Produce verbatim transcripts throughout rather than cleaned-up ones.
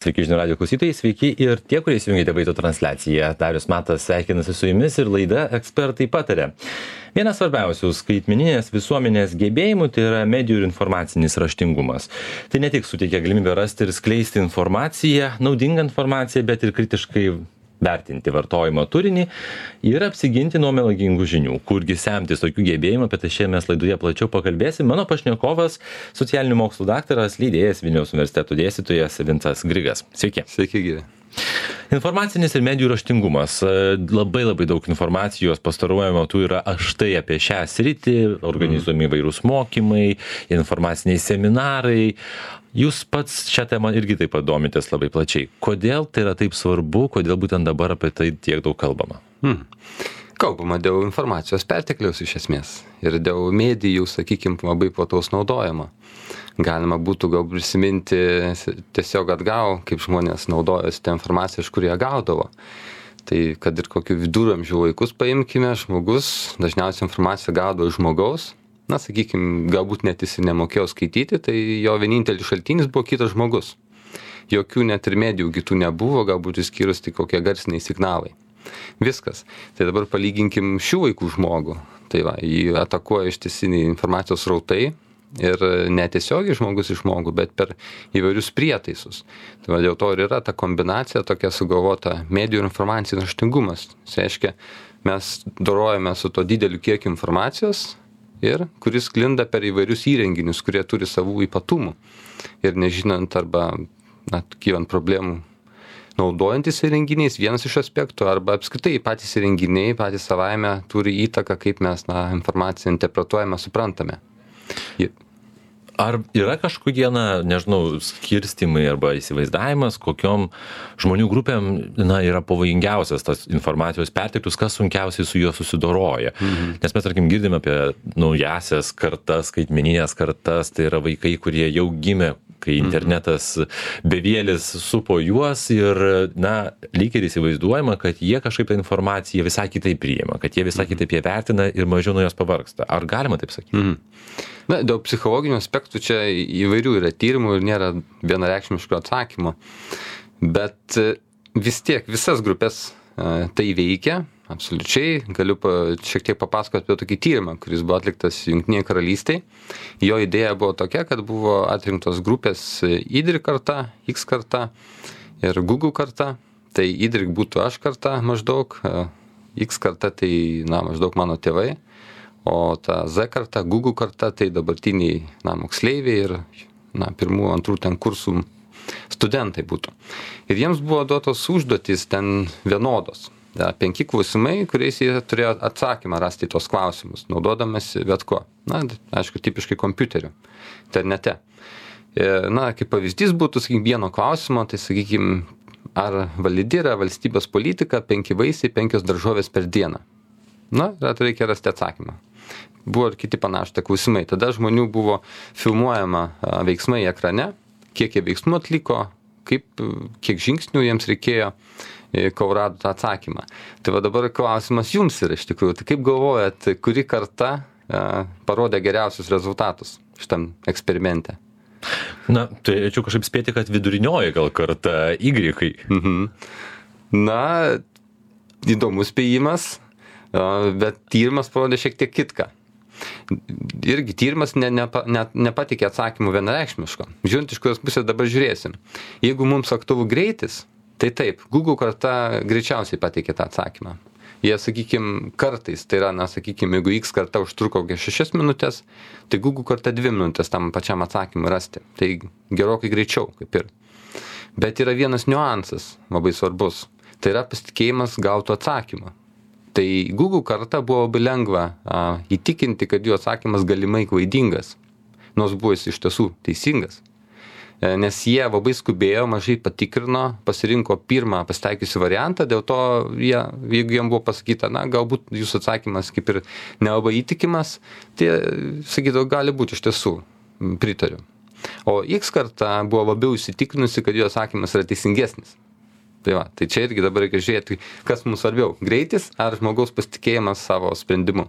Sveiki žinių radijo klausytojai, sveiki ir tie, kurie įsijungėte vaizdo transliaciją. Darius Matas sveikinasi su jumis ir laida Ekspertai pataria. Vienas svarbiausių skaitmeninės visuomenės gebėjimų tai yra medijų ir informacinis raštingumas. Tai ne tik suteikia galimybę rasti ir skleisti informaciją, naudingą informaciją, bet ir kritiškai vertinti vartojimo turinį ir apsiginti nuo melagingų žinių. Kurgi semtis tokių gebėjimų, apie tai šiandien mes laidoje plačiau pakalbėsim. Mano pašnekovas, socialinių mokslų daktaras, leidėjas, Vilniaus universiteto dėstytojas Vincas Grigas. Sveiki. Sveiki, gyvi. Informacinis ir medijų raštingumas. Labai labai daug informacijos pastaruoju metu yra štai apie šią sritį, organizuojami įvairūs mokymai, informaciniai seminarai. Jūs pats šią temą irgi taip pat domitės labai plačiai. Kodėl tai yra taip svarbu, kodėl būtent dabar apie tai tiek daug kalbama? Hmm. Kalbama dėl informacijos pertekliaus iš esmės ir dėl medijų, sakykime, labai plataus naudojimo. Galima būtų gal prisiminti tiesiog atgal, kaip žmonės naudojosi tą informaciją, iš kur jie gaudavo. Tai kad ir kokių viduramžių laikus paimkime, žmogus dažniausiai informaciją gaudavo iš žmogaus. Na, sakykime, galbūt net jis nemokėjo skaityti, tai jo vienintelis šaltinis buvo kitas žmogus. Jokių net ir medijų kitų nebuvo, galbūt išskyrus tik kokie garsiniai signalai. Viskas. Tai dabar palyginkim šių laikų žmogų. Tai va, jį atakuoja ištisiniai informacijos srautai ir netiesiogiai žmogus iš žmogų, bet per įvairius prietaisus. Tai va, dėl to ir yra ta kombinacija tokia sugalvota medijų ir informacinis raštingumas. Tai reiškia, mes dorojame su to dideliu kiekiu informacijos ir kuris sklinda per įvairius įrenginius, kurie turi savų ypatumų. Ir nežinant arba na, kylant problemų naudojantis įrenginiais, vienas iš aspektų, arba apskritai patys įrenginiai, patys savaime turi įtaką, kaip mes na, informaciją interpretuojame, suprantame. Ir Ar yra kažkokie, na, nežinau, skirstimai arba įsivaizdavimas, kokiom žmonių grupėm na, yra pavojingiausias tas informacijos perteklius, kas sunkiausiai su juo susidoroja? Mhm. Nes mes, tarkim, girdime apie naujasias kartas, skaitmeninės kartas, tai yra vaikai, kurie jau gimė, kai internetas bevėlis supo juos ir, na, lyg ir įsivaizduojama, kad jie kažkaip tą informaciją visai kitaip priima, kad jie visai kitaip ją vertina ir mažiau nuo jos pavargsta. Ar galima taip sakyti? Mhm. Na, dėl psichologinių aspektų čia įvairių yra tyrimų ir nėra vienareikšmiško atsakymo. Bet vis tiek visas grupės tai veikia. Absoliučiai. Galiu pa, šiek tiek papasakoti apie tokį tyrimą, kuris buvo atliktas Jungtinėje karalystėje. Jo idėja buvo tokia, kad buvo atrinktos grupės Y karta, X karta ir Google karta. Tai Y būtų aš karta maždaug, X karta tai na, maždaug mano tėvai, o ta Z karta, Google karta tai dabartiniai na, moksleiviai ir na, pirmų, antrų ten kursų studentai būtų. Ir jiems buvo duotos užduotys ten vienodos. Da, penki klausimai, kuriais jie turėjo atsakymą rasti tos klausimus, naudodamasi bet ko. Na, aišku, tipiškai kompiuteriu, internete. Na, kaip pavyzdys būtų, sakykime, vieno klausimo, tai, sakykime, ar validi yra valstybės politika penki vaisiai, penkios daržovės per dieną. Na, tai reikia rasti atsakymą. Buvo ir kiti panašūs klausimai. Tada žmonių buvo filmuojama veiksmai ekrane, kiek jie veiksmų atliko, kaip, kiek žingsnių jiems reikėjo, kol rado tą atsakymą. Tai va dabar klausimas jums yra iš tikrųjų. Tai kaip galvojat, kuri karta e, parodė geriausius rezultatus šitam eksperimente? Na, turėčiau kažkaip spėti, kad vidurinioji gal karta Y. Mhm. Na, įdomus spėjimas, bet tyrimas parodė šiek tiek kitką. Irgi tyrimas ne, ne, ne, nepatikė atsakymų vienareikšmiško. Žiūrint, iš kurios pusės dabar žiūrėsim. Jeigu mums aktualu greitis, tai taip, Google karta greičiausiai pateikė tą atsakymą. Jie, sakykime, kartais, tai yra, na, sakykime, jeigu X karta užtruko kokias šešias minutės, tai Google karta dvi minutės tam pačiam atsakymui rasti. Tai gerokai greičiau, kaip ir. Bet yra vienas niuansas labai svarbus. Tai yra pasitikėjimas gautų atsakymą. Tai Google karta buvo labai lengva a, įtikinti, kad jų atsakymas galimai klaidingas, nors buvo jis iš tiesų teisingas. Nes jie labai skubėjo, mažai patikrino, pasirinko pirmą pasitaikiusi variantą, dėl to jie, jeigu jiem buvo pasakyta, na, galbūt jūsų atsakymas kaip ir nelabai įtikimas, tai, sakytų, gali būti iš tiesų, pritariu. O X karta buvo labiau įsitikinusi, kad jų atsakymas yra teisingesnis. Tai va, tai čia irgi dabar reikia žiūrėti, kas mums svarbiau, greitis ar žmogaus pasitikėjimas savo sprendimu.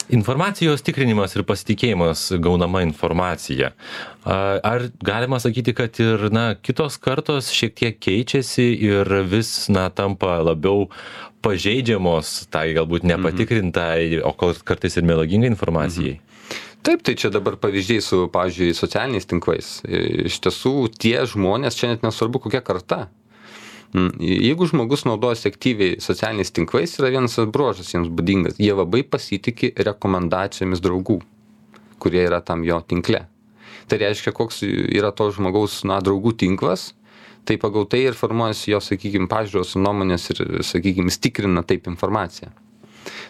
Informacijos tikrinimas ir pasitikėjimas gaunama informacija. Ar galima sakyti, kad ir na, kitos kartos šiek tiek keičiasi ir vis na, tampa labiau pažeidžiamos tai galbūt nepatikrintai, mhm. o kartais ir melagingai informacijai? Mhm. Taip, tai čia dabar pavyzdžiai su, pavyzdžiui, socialiniais tinklais. Iš tiesų, tie žmonės, čia net nesvarbu kokia karta. Jeigu žmogus naudojasi aktyviai socialiniais tinklais, yra vienas bruožas jiems būdingas. Jie labai pasitikė rekomendacijomis draugų, kurie yra tam jo tinkle. Tai reiškia, koks yra to žmogaus na, draugų tinklas, tai pagal tai ir formuojasi jo, sakykime, pažiūros, nuomonės ir, sakykime, stikrina taip informaciją.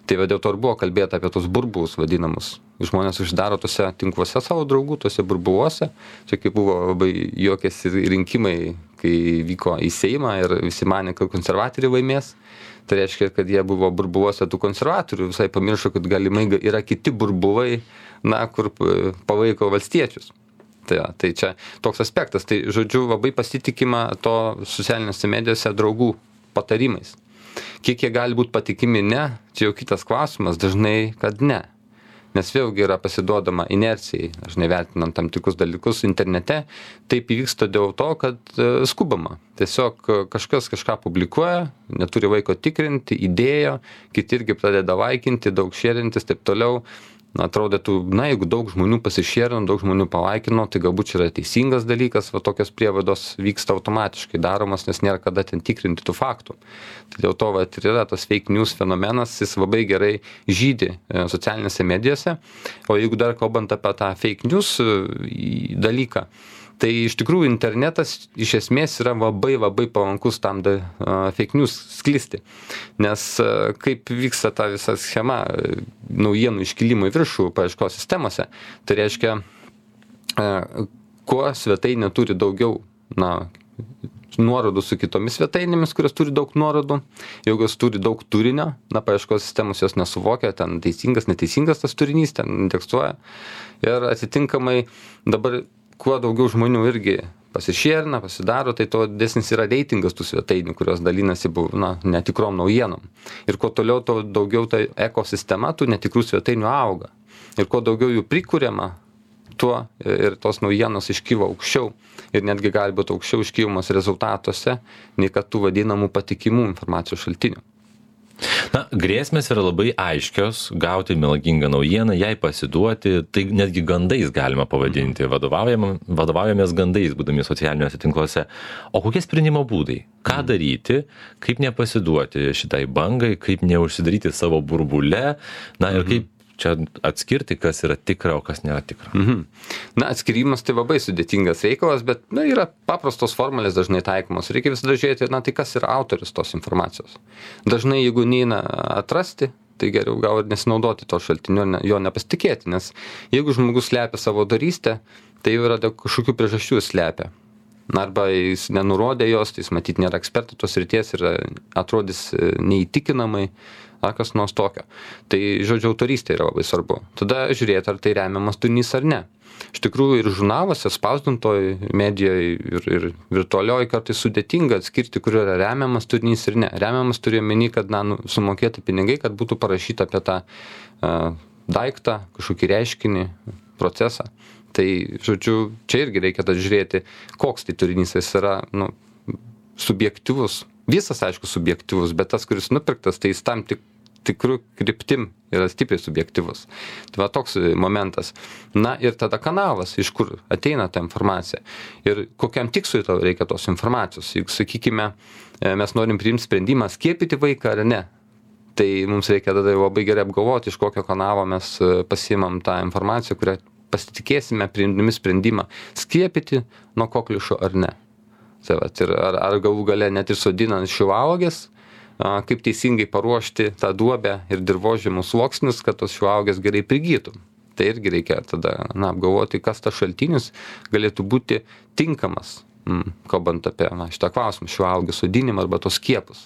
Tai va dėl to ir buvo kalbėta apie tos burbulus vadinamus. Žmonės uždaro tose tinkluose savo draugų, tose burbuluose. Čia kaip buvo labai juokėsi rinkimai, kai vyko į Seimą ir visi manė, kad konservatoriai laimės. Tai reiškia, kad jie buvo burbuluose tų konservatorių, visai pamiršo, kad galimai yra kiti burbulai, na, kur palaiko valstiečius. Tai, ja, tai čia toks aspektas. Tai žodžiu, labai pasitikima to socialinėse medijose draugų patarimais. Kiek jie gali būti patikimi, ne, čia jau kitas klausimas, dažnai, kad ne. Nes vėlgi yra pasiduodama inercijai, dažnai vertinant tam tikrus dalykus internete, taip įvyksta dėl to, kad skubama. Tiesiog kažkas kažką publikuoja, neturi laiko tikrinti, įdėjo, kiti irgi pradeda laikinti, daug šėrintis, taip toliau. Na, atrodytų, na, jeigu daug žmonių pasišėrino, daug žmonių palaikino, tai galbūt čia yra teisingas dalykas, va tokios prievados vyksta automatiškai daromas, nes nėra kada ten tikrinti tų faktų. Tai dėl to va, ir yra tas fake news fenomenas, jis labai gerai žydi socialinėse medijose, o jeigu dar kalbant apie tą fake news dalyką, tai iš tikrųjų internetas iš esmės yra labai labai palankus tam da, uh, fake news sklisti. Nes uh, kaip vyksta ta visa schema uh, naujienų iškilimo į viršų paieškos sistemose, tai reiškia, uh, kuo svetainė turi daugiau na, nuorodų su kitomis svetainėmis, kurios turi daug nuorodų, jeigu jos turi daug turinio, na, paieškos sistemos jos nesuvokia, ten teisingas, neteisingas tas turinys, ten indeksuoja. Ir atitinkamai dabar kuo daugiau žmonių irgi pasišėrina, pasidaro, tai to didesnis yra reitingas tų svetainių, kurios dalinasi na, netikrom naujienom. Ir kuo toliau, to daugiau ta ekosistema tų netikrų svetainių auga. Ir kuo daugiau jų prikuriama, tuo ir tos naujienos iškyla aukščiau. Ir netgi gali būti aukščiau iškylamas rezultatuose, nei kad tų vadinamų patikimų informacijos šaltinių. Na, grėsmės yra labai aiškios, gauti melagingą naujieną, jai pasiduoti, tai netgi gandais galima pavadinti, vadovaujamės gandais, būdami socialiniuose tinkluose. O kokie sprendimo būdai? Ką daryti, kaip nepasiduoti šitai bangai, kaip neužsidaryti savo burbule, na ir kaip čia atskirti, kas yra tikra, o kas nėra tikra. Mhm. Na, atskirimas tai labai sudėtingas reikalas, bet na, yra paprastos formulės dažnai taikomos. Reikia visada žiūrėti, na, tai kas yra autorius tos informacijos. Dažnai, jeigu neina atrasti, tai geriau gal ir nesinaudoti to šaltinio, ne, jo nepasitikėti, nes jeigu žmogus slepia savo darystę, tai jau yra dėl kažkokių priežasčių slepia. Arba jis nenurodė jos, tai jis matyt nėra ekspertų tos srities ir atrodys neįtikinamai, ar kas nors tokio. Tai, žodžiu, autorystė yra labai svarbu. Tada žiūrėti, ar tai remiamas turinys ar ne. Iš tikrųjų ir žurnaluose, spausdintoj medijoje ir, ir virtualioje kartais sudėtinga atskirti, kur yra remiamas turinys ir ne. Remiamas turiu omeny, kad na, nu, sumokėti pinigai, kad būtų parašyta apie tą uh, daiktą, kažkokį reiškinį, procesą. Tai, žodžiu, čia irgi reikia tad žiūrėti, koks tai turinys jis yra nu, subjektyvus. Visas, aišku, subjektyvus, bet tas, kuris nupirktas, tai jis tam tik tikrų kryptim yra stipriai subjektyvus. Tai va toks momentas. Na ir tada kanalas, iš kur ateina ta informacija. Ir kokiam tikslui tau reikia tos informacijos. Jeigu, sakykime, mes norim priimti sprendimą skiepyti vaiką ar ne, tai mums reikia tada labai gerai apgalvoti, iš kokio kanalo mes pasiimam tą informaciją, kurią pasitikėsime priimdami sprendimą skiepyti nuo kokliušo ar ne. Tai va, ir ar, ar galų gale net ir sodinant šilauogės, kaip teisingai paruošti tą duobę ir dirvožemų sluoksnius, kad tos šilauogės gerai prigytų. Tai irgi reikia tada na, apgalvoti, kas tas šaltinis galėtų būti tinkamas, mm, kalbant apie na, šitą klausimą, šilauogės sodinimą arba tos skiepus.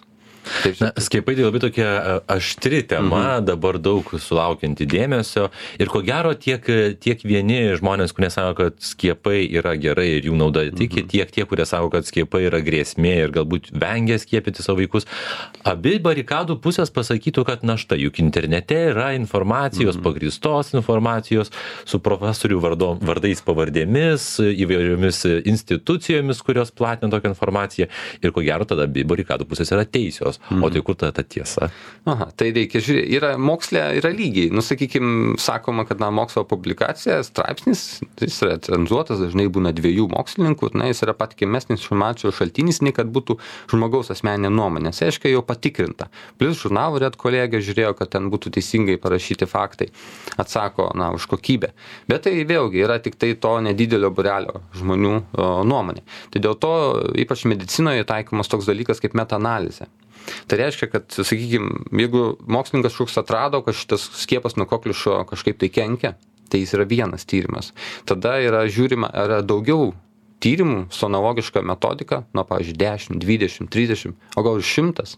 Taip, Na, skiepai tai labai tokia aštri tema, mhm. dabar daug sulaukianti dėmesio ir ko gero tiek, tiek vieni žmonės, kurie sako, kad skiepai yra gerai ir jų nauda tiki, mhm. tiek tie, kurie sako, kad skiepai yra grėsmė ir galbūt vengia skiepyti savo vaikus. Abi barikadų pusės pasakytų, kad na štai, juk internete yra informacijos, mhm. pagrįstos informacijos su profesorių vardo, vardais pavardėmis, įvairiomis institucijomis, kurios platina tokią informaciją ir ko gero tada abi barikadų pusės yra teisios. O tai kur ta, ta tiesa? Aha, tai reikia žiūrėti. Yra mokslė, yra lygiai. Nu, sakykime, sakoma, kad na, mokslo publikacija, straipsnis, jis yra cenzuotas, dažnai būna dviejų mokslininkų, na, jis yra patikimesnis informacijos šaltinis, nei kad būtų žmogaus asmeninė nuomonė. Tai reiškia, jau patikrinta. Plus žurnalų red kolegė žiūrėjo, kad ten būtų teisingai parašyti faktai. Atsako, na, už kokybę. Bet tai vėlgi yra tik tai to nedidelio būrelio žmonių o, nuomonė. Tai dėl to, ypač medicinoje, taikomas toks dalykas kaip metaanalizė. Tai reiškia, kad, sakykime, jeigu mokslininkas kažkoks atrado, kad šitas skiepas nuo kokliušo kažkaip tai kenkia, tai jis yra vienas tyrimas. Tada yra žiūrima, yra daugiau tyrimų su analogiška metodika, nuo, pavyzdžiui, dešimt, dvidešimt, trisdešimt, o gal ir šimtas,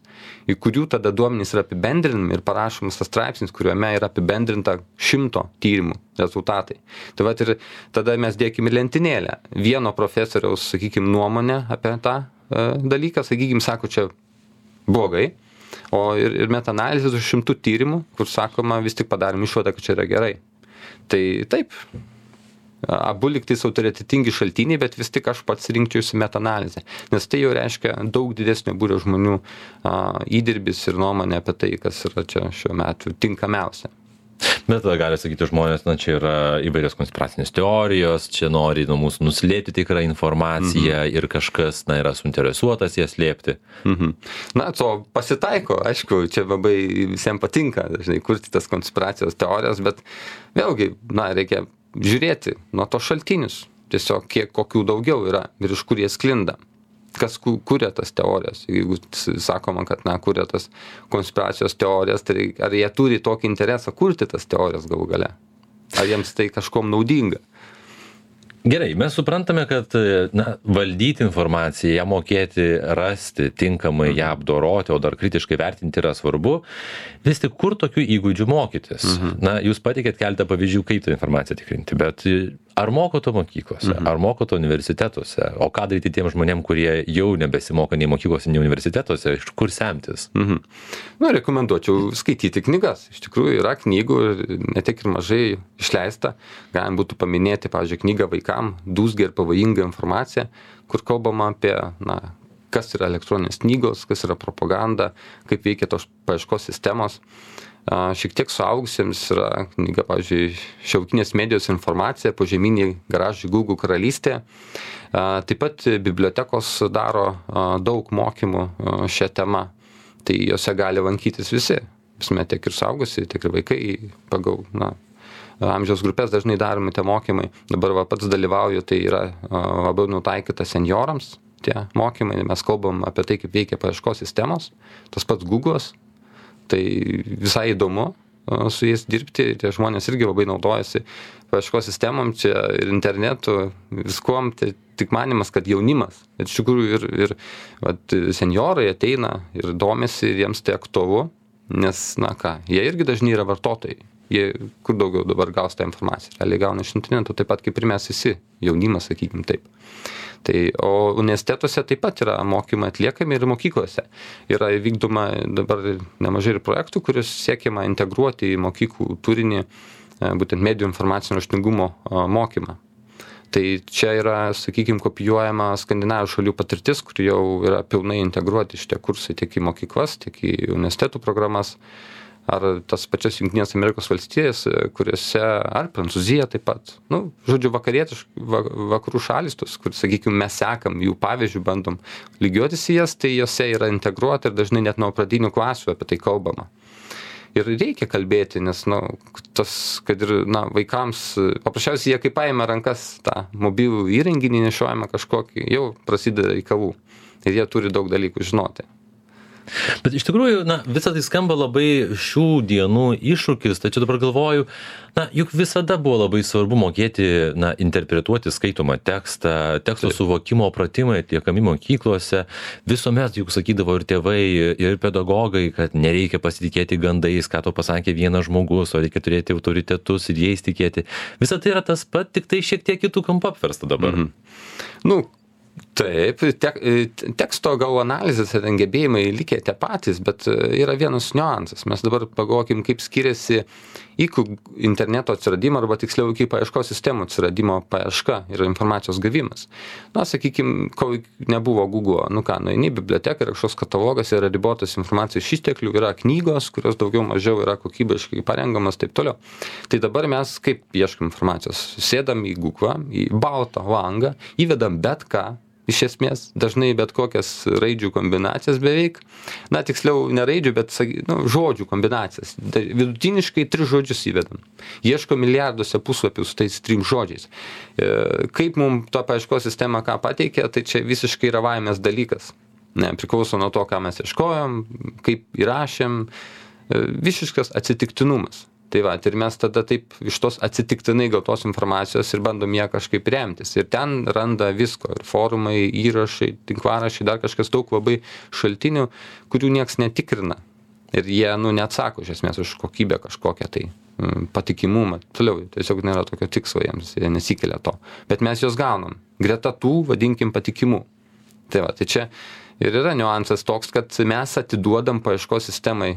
į kurių tada duomenys yra apibendrinami ir parašomas tas straipsnis, kuriuome yra apibendrinta šimto tyrimų rezultatai. Tai vat ir tada mes dėkime lentynėlę. Vieno profesoriaus, sakykime, nuomonę apie tą e, dalyką, sakykime, sako, čia blogai, o ir, ir metaanalizės už šimtų tyrimų, kur sakoma, vis tik padarom išvadą, kad čia yra gerai. Tai taip, abu liktais autoritetingi šaltiniai, bet vis tik aš pats rinkčiausi metaanalizę, nes tai jau reiškia daug didesnio būrio žmonių a, įdirbis ir nuomonė apie tai, kas yra čia šiuo metu tinkamiausia. Bet tada gali sakyti žmonės, na čia yra įvairios konspiracinės teorijos, čia nori nuo mūsų nuslėpti tikrą informaciją mhm. ir kažkas, na, yra suinteresuotas ją slėpti. Mhm. Na, to pasitaiko, aišku, čia labai visiems patinka, dažnai kurti tas konspiracijos teorijas, bet vėlgi, na, reikia žiūrėti nuo to šaltinius, tiesiog kiek kokių daugiau yra ir iš kur jie sklinda. Kas kuria tas teorijas, jeigu sakoma, kad, na, kuria tas konspiracijos teorijas, tai ar jie turi tokį interesą kurti tas teorijas galų gale? Ar jiems tai kažkom naudinga? Gerai, mes suprantame, kad na, valdyti informaciją, ją mokėti, rasti, tinkamai ją apdoroti, o dar kritiškai vertinti yra svarbu. Vis tik kur tokių įgūdžių mokytis? Mhm. Na, jūs pateikėt keletą pavyzdžių, kaip tą informaciją tikrinti, bet ar moko to mokyklose, mhm. ar moko to universitetuose, o ką daryti tiem žmonėm, kurie jau nebesimoko nei mokyklose, nei universitetuose, iš kur semtis? Mhm. Na, rekomenduočiau skaityti knygas. Iš tikrųjų yra knygų, ne tiek ir mažai išleista. Galim būtų paminėti, pavyzdžiui, knygą vaikam, dūzgia ir pavojinga informacija, kur kalbama apie, na, kas yra elektroninės knygos, kas yra propaganda, kaip veikia tos paieškos sistemos. Šiek tiek suaugusiems yra knyga, pavyzdžiui, Šiuolaikinės medijos informacija, požeminiai garažai Google karalystė. Taip pat bibliotekos daro daug mokymų šią temą, tai jose gali lankytis visi, visme tiek ir suaugusiai, tiek ir vaikai pagal, na, amžiaus grupės dažnai daromi tie mokymai. Dabar va, pats dalyvauju, tai yra labiau nutaikyta seniorams tie mokymai, mes kalbam apie tai, kaip veikia paieškos sistemos, tas pats Google'as. Tai visai įdomu su jais dirbti, tie žmonės irgi labai naudojasi paieškos sistemom, čia ir internetu, viskuom, tai tik manimas, kad jaunimas, bet iš tikrųjų ir, ir vat, seniorai ateina ir domisi, ir jiems tai aktualu, nes, na ką, jie irgi dažnai yra vartotojai, jie kur daugiau dabar gaus tą informaciją, realiai gauna iš interneto, taip pat kaip ir mes visi, jaunimas, sakykim taip. Tai, o universitetuose taip pat yra mokymai atliekami ir mokyklose. Yra vykdoma dabar nemažai ir projektų, kuriuos siekiama integruoti į mokyklų turinį, būtent medijų informacinio raštingumo mokymą. Tai čia yra, sakykime, kopijuojama skandinavijos šalių patirtis, kur jau yra pilnai integruoti šitie kursai tiek į mokyklas, tiek į universitetų programas. Ar tas pačias Jungtinės Amerikos valstijas, kuriuose, ar Prancūzija taip pat. Nu, žodžiu, vakarietiškų, vakarų šalis, tos, kur, sakykime, mes sekam jų pavyzdžių, bandom lygiuotis į jas, tai jose yra integruota ir dažnai net nuo pradinių klasių apie tai kalbama. Ir reikia kalbėti, nes, na, tas, kad ir, na, vaikams, paprasčiausiai jie kaip paėmė rankas tą mobilų įrenginį, nešiojama kažkokį, jau prasideda reikalų. Ir jie turi daug dalykų žinoti. Bet iš tikrųjų, na, visą tai skamba labai šių dienų iššūkis, tačiau dabar galvoju, na, juk visada buvo labai svarbu mokėti, na, interpretuoti skaitomą tekstą, teksto suvokimo pratimai atliekami mokyklose, visuomet juk sakydavo ir tėvai, ir pedagogai, kad nereikia pasitikėti gandais, ką to pasakė vienas žmogus, o reikia turėti autoritetus ir jais tikėti. Visa tai yra tas pat, tik tai šiek tiek kitų kampų apversta dabar. Mhm. Nu, taip, tek, teksto gal analizės ir gebėjimai likę tie patys, bet yra vienas niuansas. Mes dabar pagalvokim, kaip skiriasi iki interneto atsiradimo, arba tiksliau iki paieškos sistemų atsiradimo paieška ir informacijos gavimas. Na, sakykim, kol nebuvo Google, nu ką, nueini į biblioteką ir kažkoks katalogas yra ribotas informacijos išteklių, yra knygos, kurios daugiau mažiau yra kokybiškai parengamas, taip toliau. Tai dabar mes kaip ieškam informacijos? Sėdam į Google, į baltą langą, įvedam bet ką, iš esmės, dažnai bet kokias raidžių kombinacijas beveik, na, tiksliau, ne raidžių, bet nu, žodžių kombinacijas. Vidutiniškai tris žodžius įvedam. Ieško milijarduose puslapių su tais trim žodžiais. Kaip mums to paieškos sistema ką pateikia, tai čia visiškai yra vaimės dalykas. Ne, priklauso nuo to, ką mes ieškojom, kaip įrašėm, visiškas atsitiktinumas. Tai va, ir mes tada taip iš tos atsitiktinai gautos informacijos ir bandom ją kažkaip remtis. Ir ten randa visko. Ir forumai, įrašai, tinklaraščiai, dar kažkas daug labai šaltinių, kurių nieks netikrina. Ir jie, nu, neatsako iš esmės už kokybę kažkokią tai patikimumą. Toliau, tiesiog nėra tokio tikslo jiems, jie nesikelia to. Bet mes juos gaunam. Greta tų, vadinkim, patikimų. Tai va, tai čia ir yra niuansas toks, kad mes atiduodam paieškos sistemai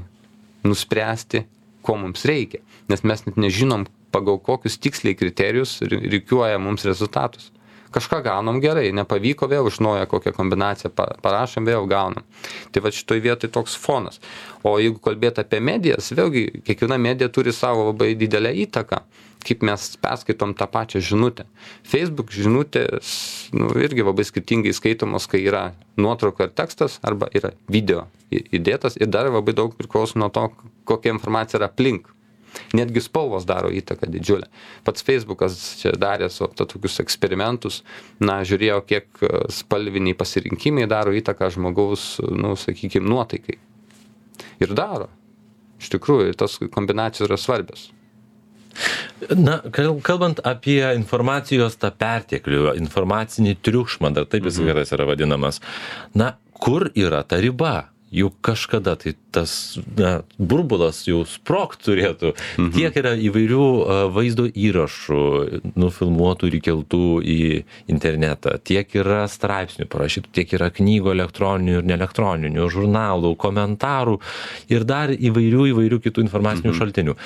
nuspręsti, ko mums reikia, nes mes net nežinom, pagal kokius tiksliai kriterijus rikiuoja mums rezultatus. Kažką gaunam gerai, nepavyko vėl iš naujo kokią kombinaciją parašom, vėl gaunam. Tai va šitoj vietoj toks fonas. O jeigu kalbėt apie medijas, vėlgi kiekviena medija turi savo labai didelę įtaką, kaip mes perskaitom tą pačią žinutę. Facebook žinutės, nu, irgi labai skirtingai skaitomos, kai yra nuotrauka ir tekstas, arba yra video įdėtas, ir dar labai daug priklauso nuo to, kokia informacija yra aplink. Netgi spalvos daro įtaką didžiulę. Pats Facebookas čia darė su tokius eksperimentus, na, žiūrėjo, kiek spalviniai pasirinkimai daro įtaką žmogaus, nu, sakykime, nuotaikai. Ir daro. Iš tikrųjų, tos kombinacijos yra svarbios. Na, kalbant apie informacijos tą perteklių, informacinį triukšmą, dar taip jis mhm. geras yra vadinamas, na, kur yra ta riba? Juk kažkada tai tas na, burbulas jau sprogt turėtų. Mhm. Tiek yra įvairių vaizdo įrašų, nufilmuotų ir įkeltų į internetą, tiek yra straipsnių parašytų, tiek yra knygų elektroninių ir neelektroninių, žurnalų, komentarų ir dar įvairių įvairių kitų informacinių mhm. šaltinių.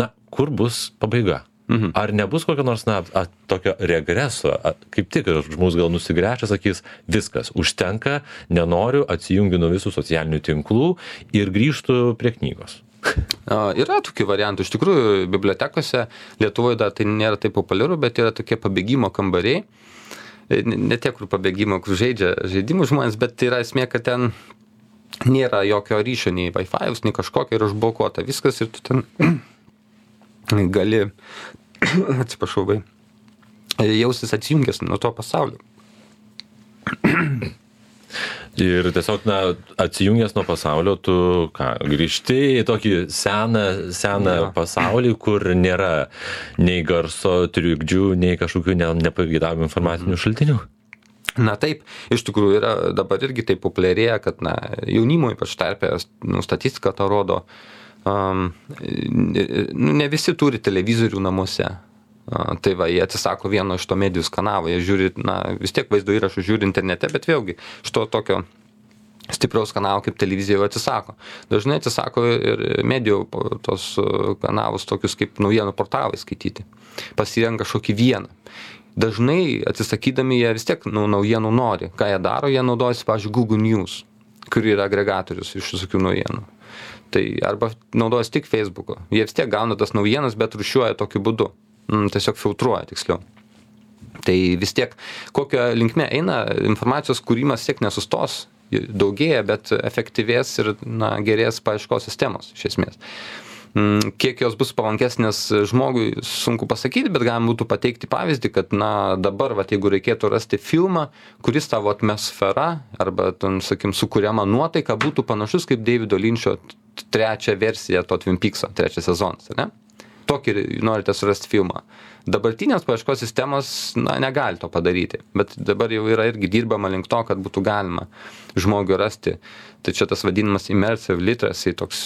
Na, kur bus pabaiga? Mhm. Ar nebus kokio nors, na, a, tokio regreso, a, kaip tik žmogus gal nusigręžia, sakys, viskas, užtenka, nenoriu, atsijungiu nuo visų socialinių tinklų ir grįžtų prie knygos. Yra tokių variantų. Iš tikrųjų, bibliotekose Lietuvoje dar tai nėra taip populiaru, bet yra tokie pabėgimo kambariai. Ne tie, kur pabėgimo, kur žaidžia žaidimų žmonės, bet tai yra esmė, kad ten nėra jokio ryšio, nei Wi-Fi'us, nei kažkokio, ir užblokuota viskas, ir tu ten gali, atsiprašau, vai, jaustis atsijungęs nuo to pasaulio. Ir tiesiog, na, atsijungęs nuo pasaulio, tu ką, grįžti į tokį seną, seną ja. pasaulį, kur nėra nei garso trikdžių, nei kažkokių ne, nepageidavimų informacinių mhm. šaltinių. Na taip, iš tikrųjų yra dabar irgi taip populiarėja, kad na, jaunimo ypač tarpe, nu, statistika tą rodo, Um, ne visi turi televizorių namuose. Uh, tai va, jie atsisako vieno iš to medijos kanalo, jie žiūri, na, vis tiek vaizdo įrašų žiūri internete, bet vėlgi iš to tokio stipraus kanalo kaip televizija jau atsisako. Dažnai atsisako ir medijų tos kanalus tokius kaip naujienų portalai skaityti. Pasirenka kažkokį vieną. Dažnai atsisakydami jie vis tiek nu, naujienų nori. Ką jie daro, jie naudojasi, pavyzdžiui, Google News, kur yra agregatorius iš visokių naujienų. Tai arba naudojasi tik Facebook'o. Jie vis tiek gauna tas naujienas, bet rūšiuoja tokiu būdu. Mm, tiesiog filtruoja, tiksliau. Tai vis tiek, kokią linkme eina, informacijos kūrimas tiek nesustos, daugėja, bet efektyvės ir na, gerės paieškos sistemos, iš esmės. Kiek jos bus palankesnės žmogui, sunku pasakyti, bet galima būtų pateikti pavyzdį, kad, na, dabar, va, jeigu reikėtų rasti filmą, kuris tavo atmosfera arba, ten, sakim, sukuriama nuotaika būtų panašus kaip Davido Lynčio trečią versiją to Twin Peakso, trečias sezonas, ne? Tokį norite surasti filmą. Dabartinės paieškos sistemos, na, negali to padaryti, bet dabar jau yra irgi dirbama link to, kad būtų galima žmogui rasti. Tai čia tas vadinamas immersive literacy, toks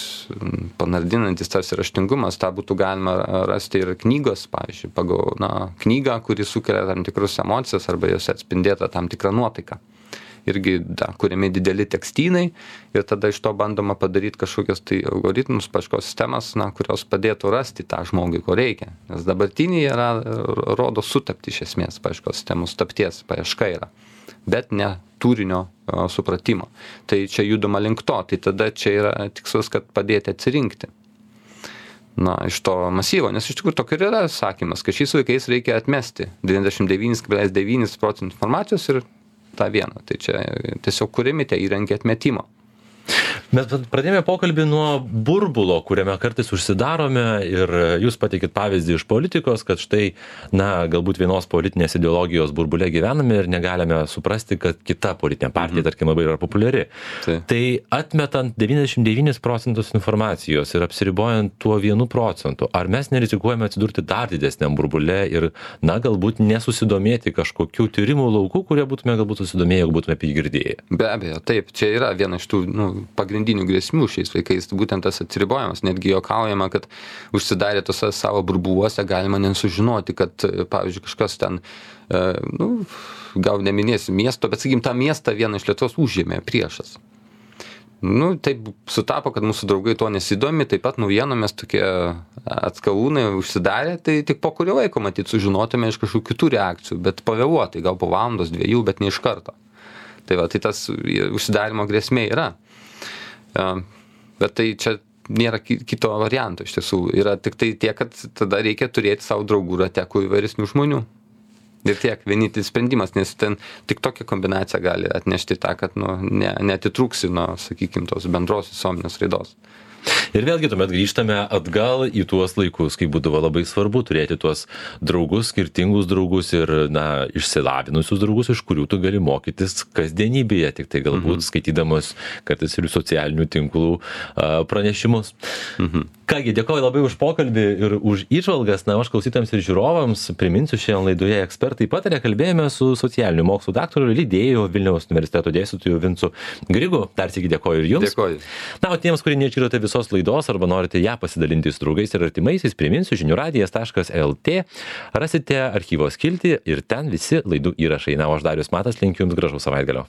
panardinantis tarsi raštingumas, tą būtų galima rasti ir knygos, pavyzdžiui, pagal, na, knygą, kuri sukelia tam tikrus emocijas arba jos atspindėta tam tikrą nuotaiką. Irgi, da, kuriami dideli tekstynai ir tada iš to bandoma padaryti kažkokias tai algoritmus, paieškos sistemas, na, kurios padėtų rasti tą žmogui, ko reikia. Nes dabartiniai yra, rodo sutapti iš esmės paieškos sistemų, sutapties paieška yra, bet ne turinio o, supratimo. Tai čia judama link to, tai tada čia yra tikslas, kad padėti atsirinkti. Na, iš to masyvo, nes iš tikrųjų tokia yra sakymas, kad šiais laikais reikia atmesti devyniasdešimt devyni kablelis devyni procentų informacijos ir tą vieną. Tai čia tiesiog kuriami tie įrankiai atmetimo. Mes pradėjome pokalbį nuo burbulo, kuriame kartais užsidarome ir jūs pateikit pavyzdį iš politikos, kad štai, na, galbūt vienos politinės ideologijos burbule gyvename ir negalime suprasti, kad kita politinė partija, mhm. tarkim, labai yra populiari. Tai, tai atmetant devyniasdešimt devynis procentus informacijos ir apsiribojant tuo vienu procentu, ar mes nerizikuojame atsidurti dar didesniam burbule ir, na, galbūt nesusidomėti kažkokių tyrimų laukų, kurie būtume galbūt susidomėję, jeigu būtume apie jį girdėję? Be abejo, taip, čia yra viena iš tų, nu, pagrindinių grėsmių šiais laikais, būtent tas atsiribojimas, netgi juokaujama, kad užsidarė tose savo burbuluose, galima nesužinoti, kad, pavyzdžiui, kažkas ten, nu, gal neminėsiu miesto, bet, sakykim, tą miestą vieną iš Lietuvos užėmė priešas. Nu, taip sutapo, kad mūsų draugai to nesidomi, taip pat naujienomis tokie atskalūnai užsidarė, tai tik po kurio laiko, matyt, sužinotume iš kažkokių kitų reakcijų, bet pavėluotai, gal po valandos, dviejų, bet ne iš karto. Tai va, tai tas užsidarimo grėsmė yra. Bet tai čia nėra kito varianto iš tiesų. Yra tik tai tiek, kad tada reikia turėti savo draugų rate, kuo įvairesnių žmonių. Ir tiek, vienintelis sprendimas, nes ten tik tokia kombinacija gali atnešti tą, kad nu, ne, neatitrūksi nuo, sakykime, tos bendros visuomenės raidos. Ir vėlgi tuomet grįžtame atgal į tuos laikus, kai būdavo labai svarbu turėti tuos draugus, skirtingus draugus ir, na, išsilavinusius draugus, iš kurių tu gali mokytis kasdienybėje, tik tai galbūt mhm. skaitydamas kartais ir socialinių tinklų a, pranešimus. Mhm. Kągi, dėkoju labai už pokalbį ir už įžvalgas. Na, aš klausytams ir žiūrovams priminsiu, šiandien laidoje Ekspertai pataria, kalbėjome su socialinių mokslų daktaru, lydėju Vilniaus universiteto dėstytoju Vincu Grigu. Dar sykį dėkoju ir jums. Dėkoju. Na, o tiems, kurie neišgirdote visos laidos arba norite ją pasidalinti su draugais ir artimaisiais, priminsiu žinių radijas taškas lt. Rasite archyvo skiltį ir ten visi laidų įrašai. Na, o aš Darius Matas linkiu jums gražaus savaitgalio.